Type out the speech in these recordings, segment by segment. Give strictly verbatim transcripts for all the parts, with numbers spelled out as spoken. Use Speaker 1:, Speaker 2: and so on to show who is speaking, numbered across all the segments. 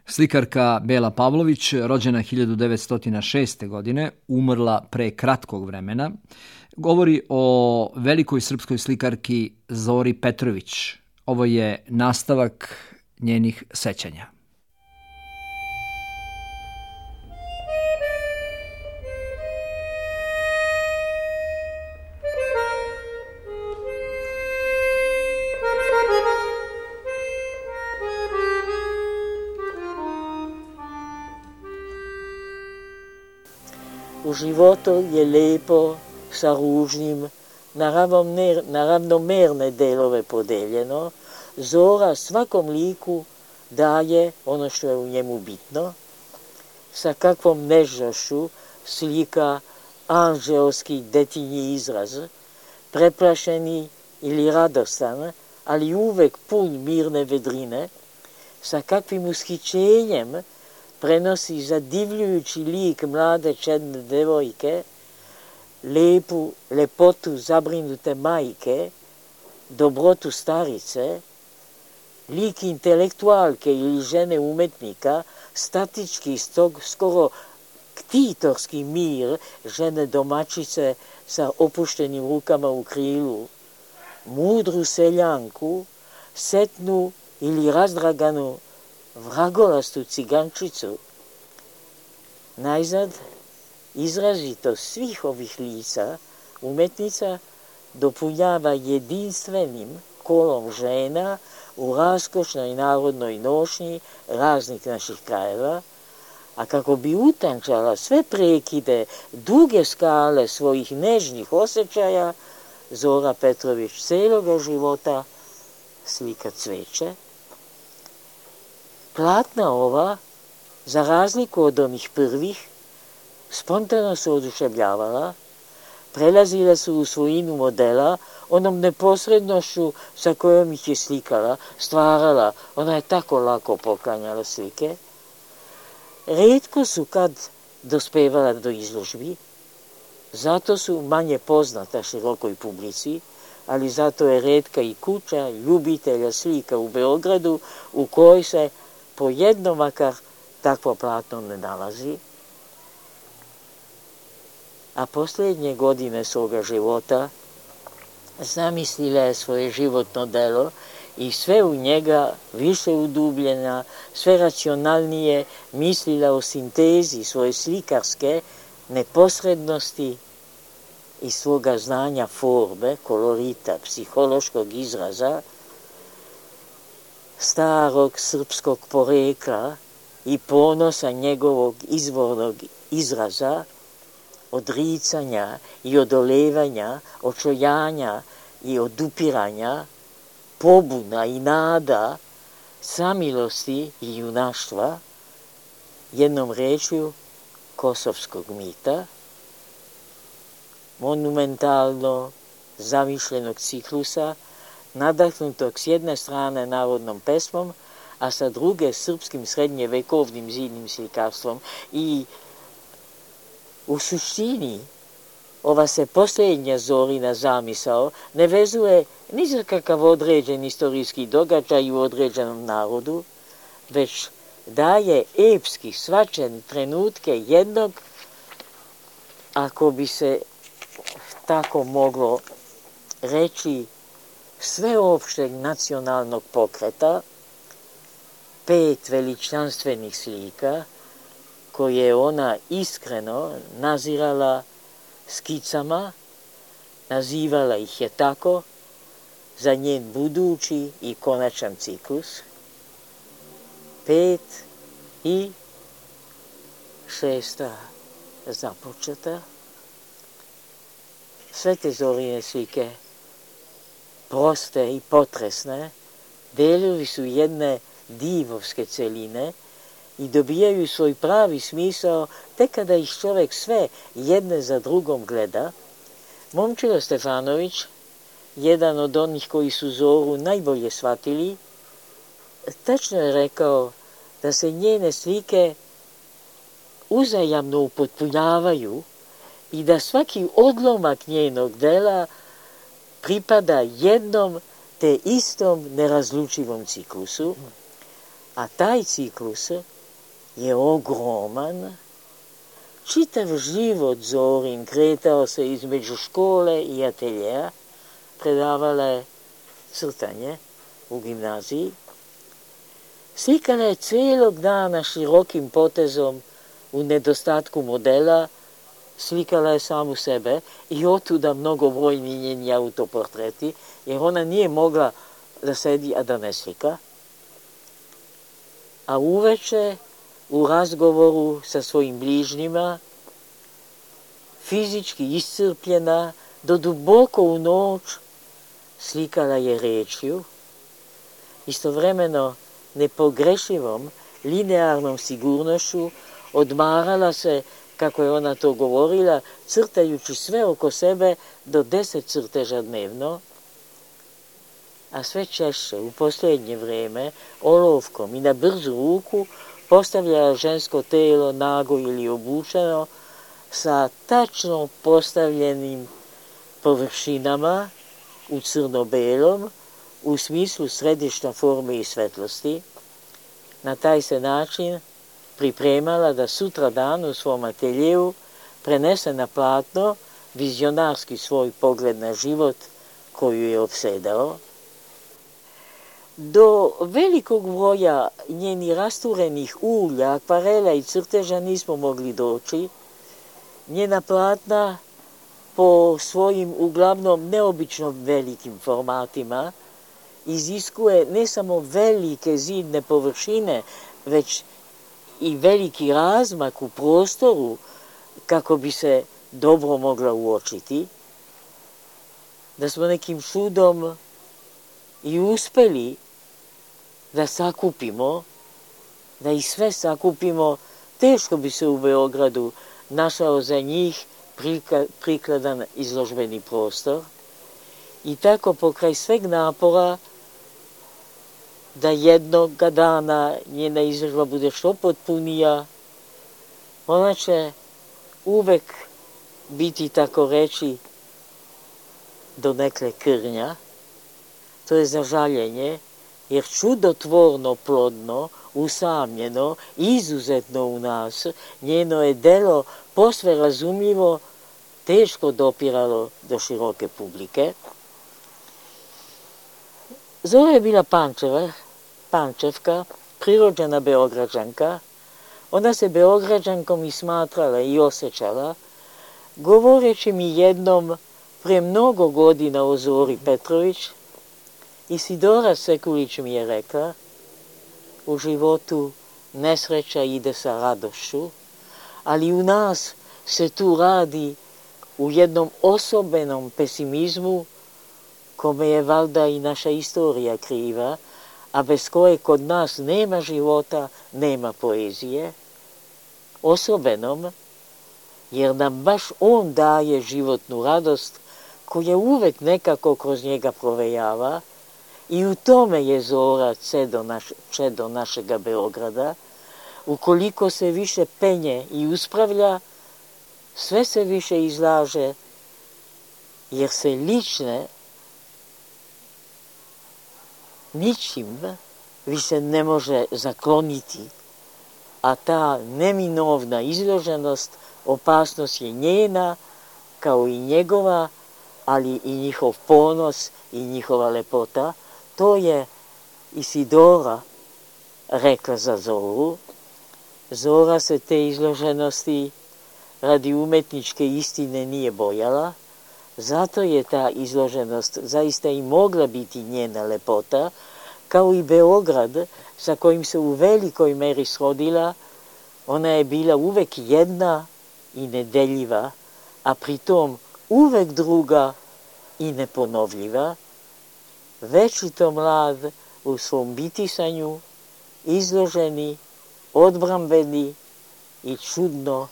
Speaker 1: Slikarka Bela Pavlović, rođena hiljadu devetsto šeste. godine, umrla pre kratkog vremena, govori o velikoj srpskoj slikarki Zori Petrović. Ovo je nastavak njenih sećanja.
Speaker 2: U životu je lepo sa ružnim, na ravnomerne delove podeljeno. Zora svakom liku daje ono što je u njemu bitno. Sa kakvom nežnošću slika anđelski detinji izraz, preplašeni ili radostan, ali uvek pun mirne vedrine. Sa kakvim ushićenjem prenosi zadivljujući lik mlade čedne devojke, lepu lepotu zabrinute majke, dobrotu starice, lik intelektualke ili žene umetnika, statički stog, skoro ktitorski mir žene domaćice sa opuštenim rukama u krilu, mudru seljanku, setnu ili razdraganu vragolastu cigančicu. Najzad, izrazito svih ovih lica umetnica dopunjava jedinstvenim kolom žena u raskošnoj narodnoj nošnji raznih naših krajeva, a kako bi utančala sve prekide duge skale svojih nežnih osjećaja, Zora Petrović celoga života slika cveće. Platna ova, za razliku od onih prvih, spontano su oduševljavala, prelazila su u svojinu modela, onom neposrednošću sa kojom ih je slikala, stvarala, ona je tako lako poklanjala slike. Retko su kad dospevala do izložbi, zato su manje poznata širokoj publici, ali zato je retka i kuća ljubitelja slika u Beogradu u kojoj se po jedno makar takvo platno ne nalazi. A posljednje godine svoga života zamislila je svoje životno delo i sve u njega više udubljena, sve racionalnije mislila o sintezi svoje slikarske neposrednosti i svoga znanja forme, kolorita, psihološkog izraza, starog srpskog porekla i ponosa njegovog izvornog izraza, odricanja i odolevanja, očojanja i odupiranja, pobuna i nada, samilosti i junaštva, jednom rečju kosovskog mita, monumentalno zamišljenog ciklusa, nadahnutog s jedne strane narodnom pesmom, a sa druge srpskim srednjevekovnim zidnim slikarstvom. I u suštini ova se posljednja Zorina zamisao ne vezuje ni za kakav određen istorijski događaj u određenom narodu, već daje epski svačen trenutke jednog, ako bi se tako moglo reći, sveopšteg nacionalnog pokreta, pet veličanstvenih slika koje je ona iskreno nazirala skicama, nazivala ih je tako za njen budući i konačan ciklus. Pet i šesta započeta. Sve te Zorine slike, proste i potresne, delovi su jedne divovske celine i dobijaju svoj pravi smisao tek kada ih čovjek sve jedne za drugom gleda. Momčilo Stefanović, jedan od onih koji su Zoru najbolje shvatili, tačno je rekao da se njene slike uzajamno upotpunjavaju i da svaki odlomak njenog dela pripada jednom te istom nerazlučivom ciklusu, a taj ciklus je ogroman. Čitav život Zorin kretao se između škole i ateljeja, predavala je crtanje u gimnaziji. Slikala je cijelog dana širokim potezom u nedostatku modela, slikala je samu sebe i otuda mnogobrojni njeni autoportreti, jer ona nije mogla da sedi, a da ne slika. A uveče, u razgovoru sa svojim bližnjima, fizički iscrpljena, do duboko u noć, slikala je rečju, istovremeno nepogrešivom, linearnom sigurnošću, odmarala se, kako je ona to govorila, crtajući sve oko sebe do deset crteža dnevno, a sve češće u posljednje vrijeme olovkom i na brzu ruku postavljala žensko telo nago ili obučeno sa tačno postavljenim površinama u crno-belom u smislu središta forme i svetlosti. Na taj se način pripremala da sutra dan u svom ateljeju prenese na platno vizionarski svoj pogled na život koju je opsedao. Do velikog broja njenih rasturenih ulja, akvarela i crteža nismo mogli doći. Njena platna po svojim uglavnom neobično velikim formatima iziskuje ne samo velike zidne površine, već i veliki razmak u prostoru kako bi se dobro mogla uočiti. Da smo nekim čudom i uspjeli da sakupimo, da ih sve sakupimo, teško bi se u Beogradu našao za njih prikladan izložbeni prostor. I tako pokraj sveg napora da jednoga dana njena izložba bude što potpunija, ona će uvek biti, tako reći, donekle krnja. To je za žaljenje, jer čudotvorno plodno, usamljeno, izuzetno u nas, njeno je delo posve razumljivo teško dopiralo do široke publike. Zora je bila Pančeva, Pančevka, prirođena Beograđanka. Ona se Beograđankom i smatrala i osjećala, govoreći mi jednom pre mnogo godina o Zori Petrović, Isidora Sekulić mi je rekla, u životu nesreća ide sa radošću, ali u nas se tu radi u jednom osobenom pesimizmu kome je valjda i naša istorija kriva, a bez koje kod nas nema života, nema poezije. Osobenom, jer nam baš on daje životnu radost koja uvek nekako kroz njega provejava, i u tome je Zora čedo, naš, čedo našega Beograda. Ukoliko se više penje i uspravlja, sve se više izlaže, jer se lične ničim više ne može zakloniti, a ta neminovna izloženost, opasnost je njena, kao i njegova, ali i njihov ponos i njihova lepota. To je Isidora rekla za Zoru. Zora se te izloženosti radi umetničke istine nije bojala, zato je ta izloženost zaista i mogla biti njena lepota, kao i Beograd sa kojim se u velikoj meri srodila. Ona je bila uvek jedna i nedeljiva, a pritom uvek druga i neponovljiva. Večito mlad u svom bitisanju, izloženi, odbrambeni i čudno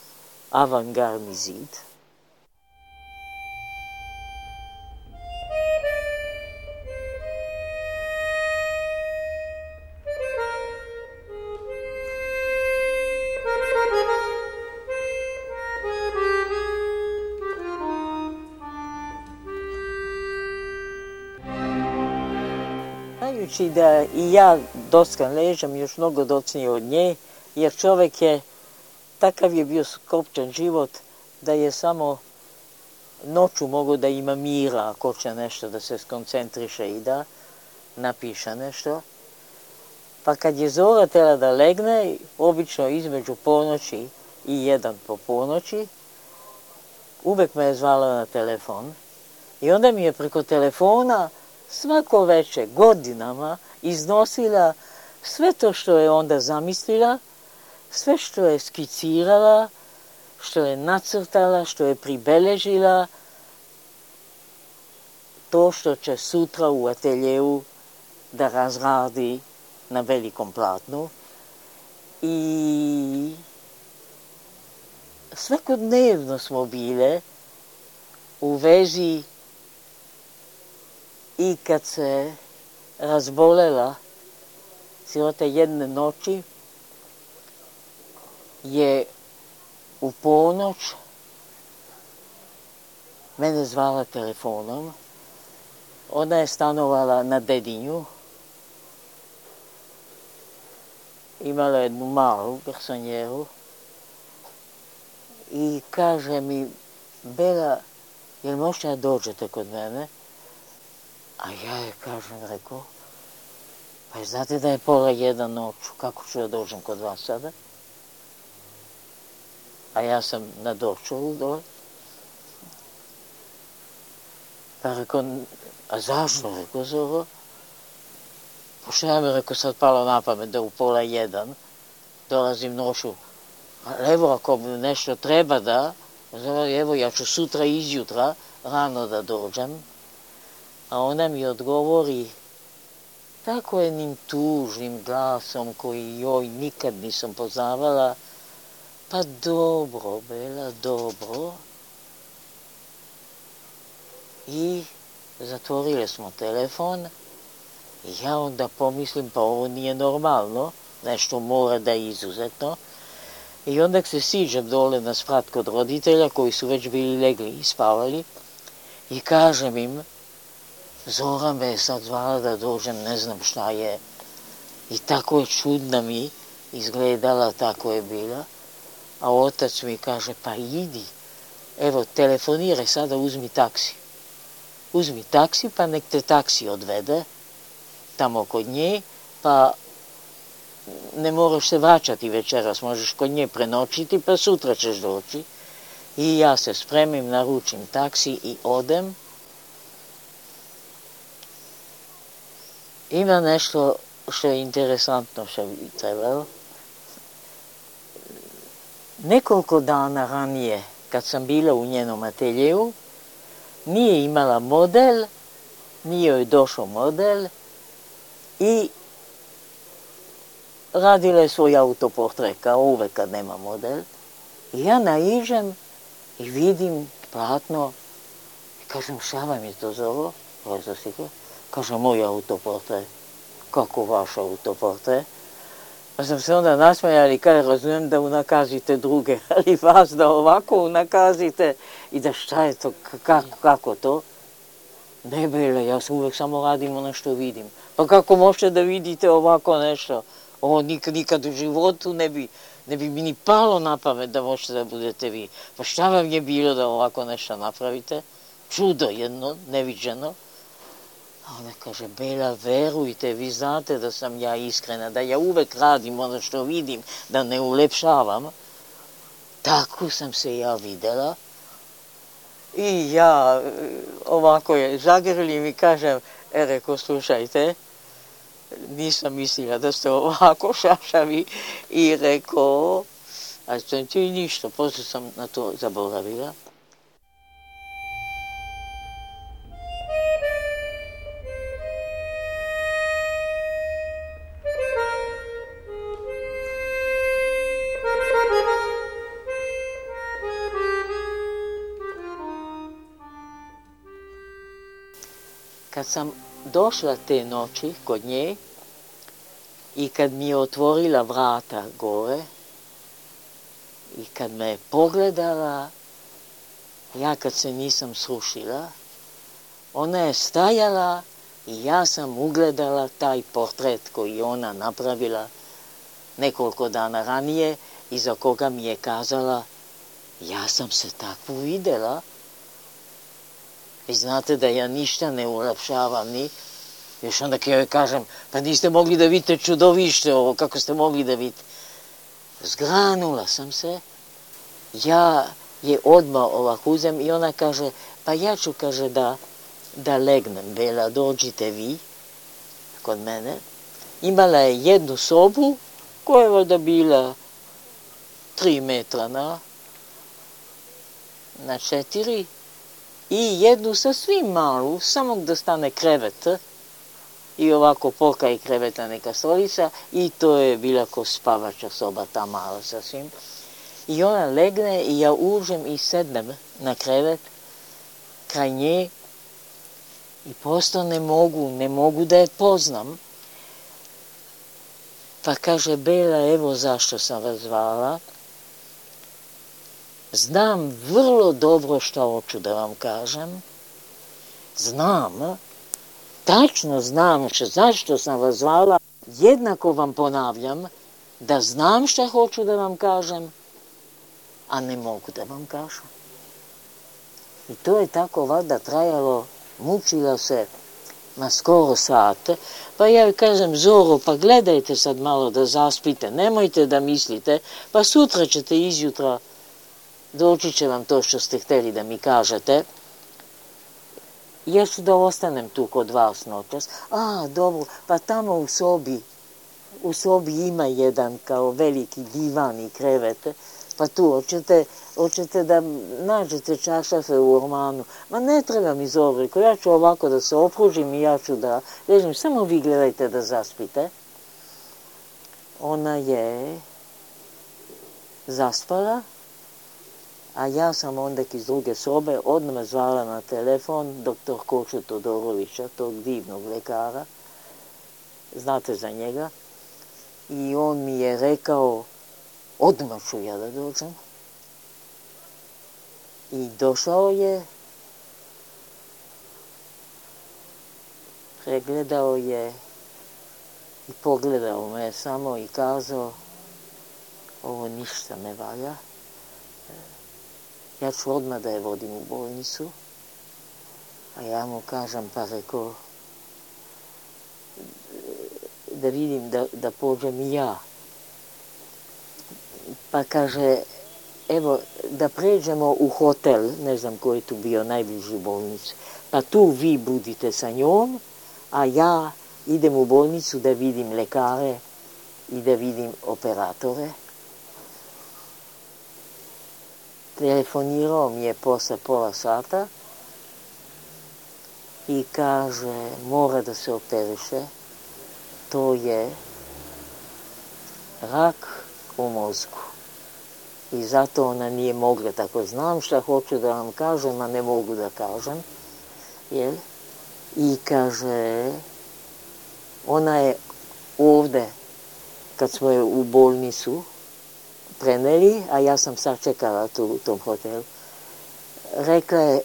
Speaker 2: avangardni zid. Znajući da i ja dockan ležem još mnogo docnije od nje, jer čovjek je, takav je bio skopčan život, da je samo noću mogu da ima mira ako će nešto da se skoncentriše i da napiše nešto. Pa kad je Zora tela da legne, obično između ponoći i jedan po ponoći, uvek me je zvala na telefon i onda mi je preko telefona svako večer godinama iznosila sve to što je onda zamislila, sve što je skicirala, što je nacrtala, što je pribeležila, to što će sutra u ateljevu da razradi na velikom platnu. I svakodnevno smo bile u vezi i kad se razbolela sirota jedne noći je u ponoć mene zvala telefonom. Ona je stanovala na Dedinju. Imala jednu malu garsonjeru i kaže mi, Bela, jel možete da dođete kod mene? A ja je kažem, rekao, pa znate da je pola jedan noću, kako ću da dođem kod vas sada? A ja sam na Dorčolu dole. Pa rekao, a zašto, rekao Zoro? Pošto ja mi rekao sad palo na pamet da u pola jedan dolazim noću. Evo ako mi nešto treba da, evo ja ću sutra izjutra rano da dođem. A ona mi odgovori tako jednim tužnim glasom koji joj nikad nisam poznavala. Pa dobro, Bela, dobro. I zatvorili smo telefon. I ja onda pomislim, pa ovo nije normalno, nešto mora da je izuzetno. I onda se siđem dole na sprat kod roditelja koji su već bili legli i spavali i kažem im, Zora me je sad zvala da dođem, ne znam šta je. I tako je čudna mi izgledala, tako je bila. A otac mi kaže, pa idi, evo telefoniraj sada, uzmi taksi. Uzmi taksi pa nek te taksi odvede tamo kod nje, pa ne moraš se vraćati večeras, možeš kod nje prenoćiti, pa sutra ćeš doći. I ja se spremim, naručim taksi i odem. Ima nešto što je interesantno što bi trebalo. Nekoliko dana ranije, kad sam bila u njenom ateljevu, nije imala model, nije joj došao model i radila je svoj autoportret, kao uvek kad nema model. I ja naiđem i vidim platno i kažem, šta vam je to Zoro? Kaže, moj autoportret. Kako vaš autoportret? Pa sam se onda nasmejala i kada razumijem da unakazite druge, ali vas da ovako unakazite i da šta je to, kako, kako to? Ne, Bela, ja uvek samo radim ono što vidim. Pa kako možete da vidite ovako nešto? Ovo nikad, nikad u životu ne bi, ne bi mi ni palo na pamet da možete da budete vi. Pa šta vam je bilo da ovako nešto napravite? Čudo jedno, neviđeno. A ona kaže, Bela, verujte, vi znate da sam ja iskrena, da ja uvek radim ono što vidim, da ne ulepšavam. Tako sam se ja videla. I ja ovako je zagrlim i kažem, e, reko, slušajte, nisam mislila da ste ovako šašavi i rekao, a to je ništa, posle sam na to zaboravila. Kad sam došla te noći kod nje i kad mi je otvorila vrata gore i kad me je pogledala, ja kad se nisam srušila, ona je stajala i ja sam ugledala taj portret koji je ona napravila nekoliko dana ranije i za koga mi je kazala, ja sam se takvu videla. Vi znate da ja ništa ne ulepšavam ni. Još onda kad joj kažem, pa niste mogli da vidite čudovište ovo, kako ste mogli da vidite. Zgranula sam se. Ja je odmah ovako uzem i ona kaže, pa ja ću, kaže, da, da legnem. Bela, dođite vi kod mene. Imala je jednu sobu koja je valjda bila tri metra na, na četiri i jednu sasvim malu, samo da stane krevet i ovako poka i kreveta neka stolica i to je bila ko spavača soba, ta mala sasvim. I ona legne i ja uđem i sednem na krevet kraj nje i prosto ne mogu, ne mogu da je poznam. Pa kaže, Bela, evo zašto sam vas zvala. Znam vrlo dobro šta hoću da vam kažem. Znam, tačno znam što, zašto sam vas zvala. Jednako vam ponavljam da znam šta hoću da vam kažem, a ne mogu da vam kažem. I to je tako valjda trajalo, mučila se, ma skoro sat. Pa ja joj kažem, Zoro, pa gledajte sad malo da zaspite, nemojte da mislite, pa sutra ćete izjutra, doći će vam to što ste hteli da mi kažete. Ja ću da ostanem tu kod vas noćas. A, dobro, pa tamo u sobi, u sobi ima jedan kao veliki divan i krevet, pa tu hoćete, hoćete da nađete čašafe u ormanu. Ma ne treba mi, Zoriko, ja ću ovako da se opružim i ja ću da ležim, samo vi gledajte da zaspite. Ona je zaspala, a ja sam onda iz druge sobe odmah zvala na telefon doktor Koču Todorovića, tog divnog lekara, znate za njega, i on mi je rekao, odmah ću ja da dođem. I došao je, pregledao je i pogledao me samo i kazao, ovo ništa ne valja. Ja ću odmah da je vodim u bolnicu, a ja mu kažem, pa rekao, da vidim da, da pođem i ja. Pa kaže, evo, da pređemo u hotel, ne znam ko je tu bio najbliži bolnici, pa tu vi budite sa njom, a ja idem u bolnicu da vidim lekare i da vidim operatore. Telefonirao mi je posle pola sata i kaže, mora da se operiše, to je rak u mozgu. I zato ona nije mogla tako. Znam šta hoću da vam kažem, a ne mogu da kažem. Jel? I kaže, ona je ovde, kad smo je u bolnicu preneli, a ja sam sačekala tu u tom hotelu, rekla je,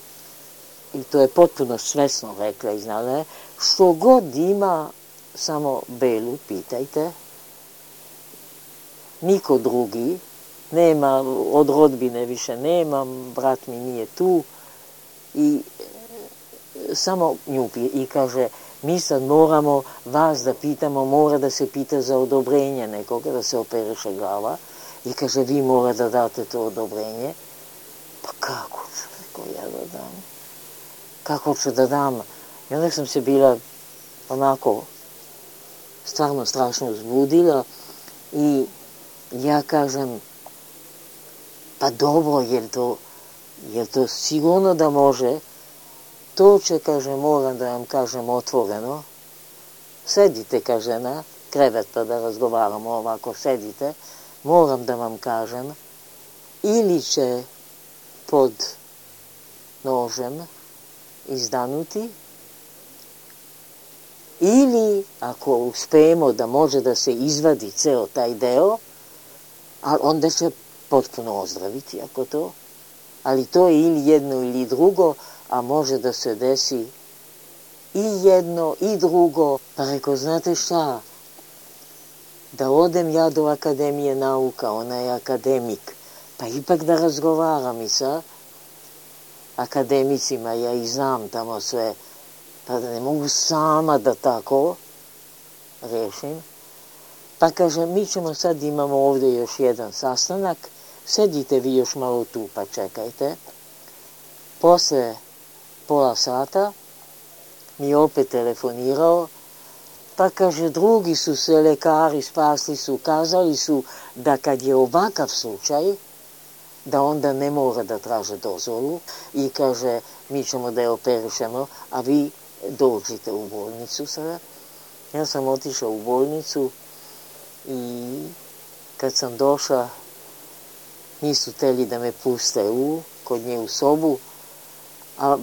Speaker 2: i to je potpuno svesno rekla i znala je, što god ima, samo Belu pitajte, niko drugi, nema, od rodbine više nemam, brat mi nije tu, i samo nju i kaže, mi sad moramo vas da pitamo, mora da se pita za odobrenje nekoga, da se operiše glava, i kaže, vi mora da date to odobrenje. Pa kako ću, rekao ja da dam? Kako ću da dam? I onda sam se bila onako stvarno strašno uzbudila i ja kažem, pa dobro, je to, je to sigurno da može? To će, kaže, moram da vam kažem otvoreno. Sedite, kaže, na krevet pa da razgovaramo ovako, sedite. Moram da vam kažem, ili će pod nožem izdanuti, ili ako uspemo da može da se izvadi ceo taj deo, a onda će potpuno ozdraviti ako to, ali to je ili jedno ili drugo, a može da se desi i jedno i drugo. Pa rekao, znate šta, da odem ja do Akademije nauka, ona je akademik, pa ipak da razgovaram i sa akademicima, ja i znam tamo sve, pa da ne mogu sama da tako rešim. Pa kaže, mi ćemo sad, imamo ovde još jedan sastanak, sedite vi još malo tu pa čekajte. Posle pola sata mi je opet telefonirao, pa kaže, drugi su se lekari spasli su, kazali su da kad je ovakav slučaj, da onda ne mora da traže dozvolu i kaže, mi ćemo da je operišemo, a vi dođite u bolnicu sada. Ja sam otišao u bolnicu i kad sam došla, nisu teli da me puste u, kod nje u sobu, a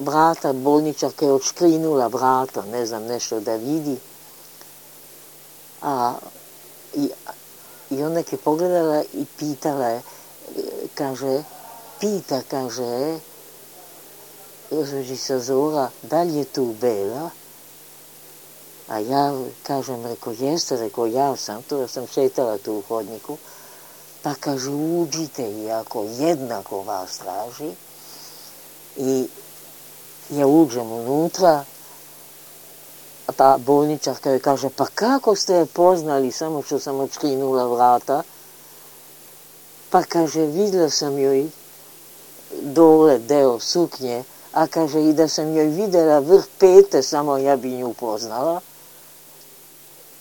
Speaker 2: vrata, bolničarka je odškrinula vrata, ne znam, nešto da vidi. A, i, i onda je pogledala i pitala je, kaže, pita, kaže, gospođica Zora, da li je tu Bela? A ja, kažem, reko, jeste, reko, ja sam tu, ja sam šetala tu u hodniku, pa kaže, uđite, iako jednako vas traži. I ja uđem unutra, pa bolničarka joj kaže, pa kako ste je poznali, samo što sam odškrinula vrata? Pa kaže, videla sam joj dole deo suknje, a kaže, i da sam joj videla vrh pete, samo ja bi nju poznala.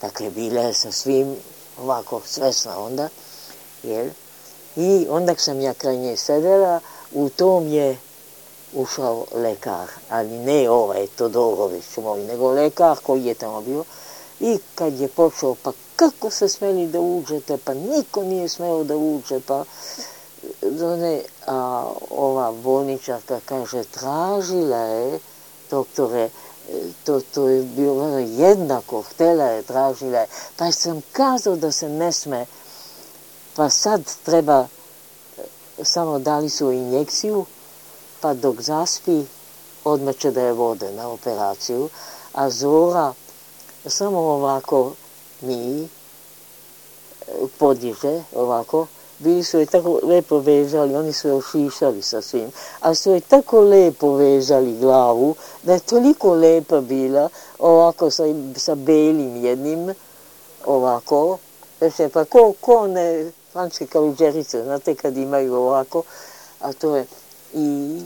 Speaker 2: Dakle, bila je sa svim ovako svesna onda, jel? I onda sam ja kraj nje sedela, u tom je ušao lekar, ali ne ovaj Todorović moj, nego lekar koji je tamo bio. I kad je počeo, pa kako se smeli da uđete, pa niko nije smeo da uđe, pa ne, a ova bolničarka kaže, tražila je, doktore, to, to je bilo jednako, htela je, tražila je, pa sam kazao da se ne sme, pa sad treba, samo dali su injekciju, pa dok zaspi, odmah će da je vode na operaciju, a Zora samo ovako mi podiže, ovako, bili su je tako lepo vezali, oni su je ošišali sa svim, a su je tako lepo vezali glavu, da je toliko lepa bila, ovako sa, sa belim jednim, ovako, znači, pa ko, ko ne, frančke kaluđerice, znate kad imaju ovako, a to je, i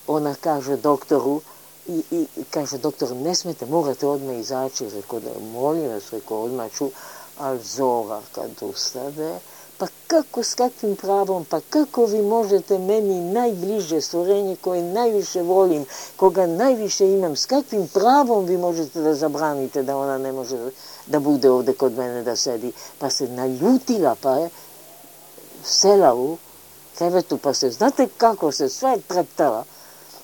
Speaker 2: ona kaže doktoru, i, i kaže doktor, ne smete, morate odmah izaći, rekao da molim vas, rekao odmah ću, ali Zora kad ustade, pa kako, s kakvim pravom, pa kako vi možete meni najbliže stvorenje koje najviše volim, koga najviše imam, s kakvim pravom vi možete da zabranite da ona ne može da bude ovde kod mene da sedi, pa se naljutila, pa je sela u krevetu, pa se, znate kako se sve treptala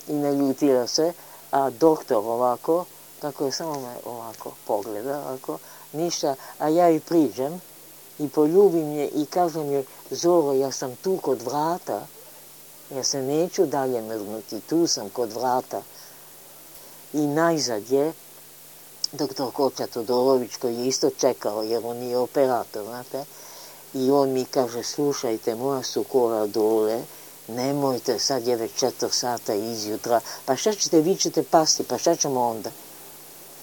Speaker 2: i naljutila se, a doktor ovako, tako je samo me ovako pogleda, ovako, ništa, a ja i priđem i poljubim je i kažem joj, Zoro, ja sam tu kod vrata, ja se neću dalje mrdnuti, tu sam kod vrata. I najzad je doktor Koča Todorović, koji je isto čekao, jer on je operator, znate, i on mi kaže, slušajte, moja su kola dole, nemojte, sad je već četiri sata izjutra, pa šta ćete, vi ćete pasti, pa šta ćemo onda?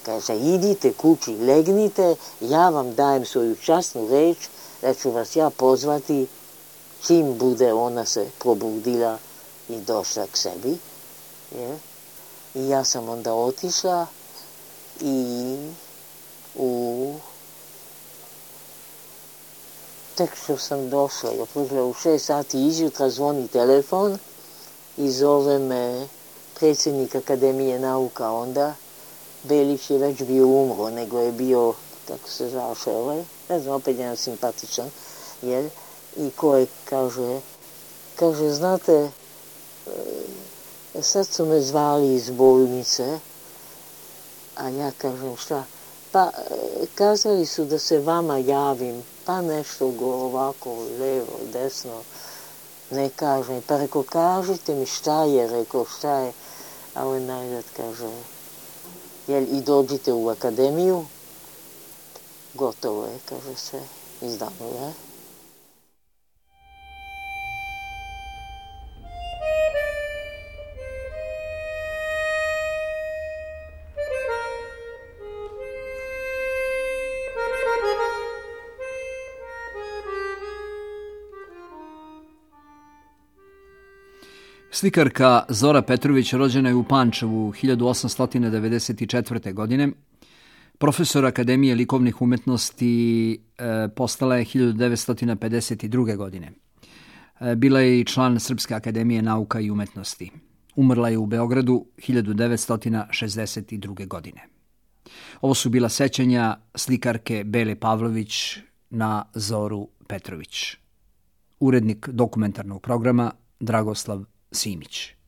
Speaker 2: Kaže, idite kući, legnite, ja vam dajem svoju časnu reč, da ću vas ja pozvati čim bude ona se probudila i došla k sebi. Je? I ja sam onda otišla i u... Tek što sam došla, ja u šest sati izjutra zvoni telefon i zove me predsjednik Akademije nauka onda. Belić je već bio umro, nego je bio, tako se zvaše ovaj, ne znam, opet jedan simpatičan, jer, i koji kaže, kaže, znate, sad su me zvali iz bolnice, a ja kažem, šta, pa kazali su da se vama javim, pa nešto go ovako, levo, desno, ne kažem, pa reko, kažite mi šta je, reko, šta je, a on najzad kaže, jel, i dođite u akademiju, gotovo je, kaže se, izdano je.
Speaker 1: Slikarka Zora Petrović rođena je u Pančevu hiljadu osamsto devedeset četvrte. godine. Profesor Akademije likovnih umetnosti e, postala je hiljadu devetsto pedeset druge. godine. E, bila je i član Srpske akademije nauka i umetnosti. Umrla je u Beogradu hiljadu devetsto šezdeset druge. godine. Ovo su bila sećanja slikarke Bele Pavlović na Zoru Petrović. Urednik dokumentarnog programa Dragoslav Simić.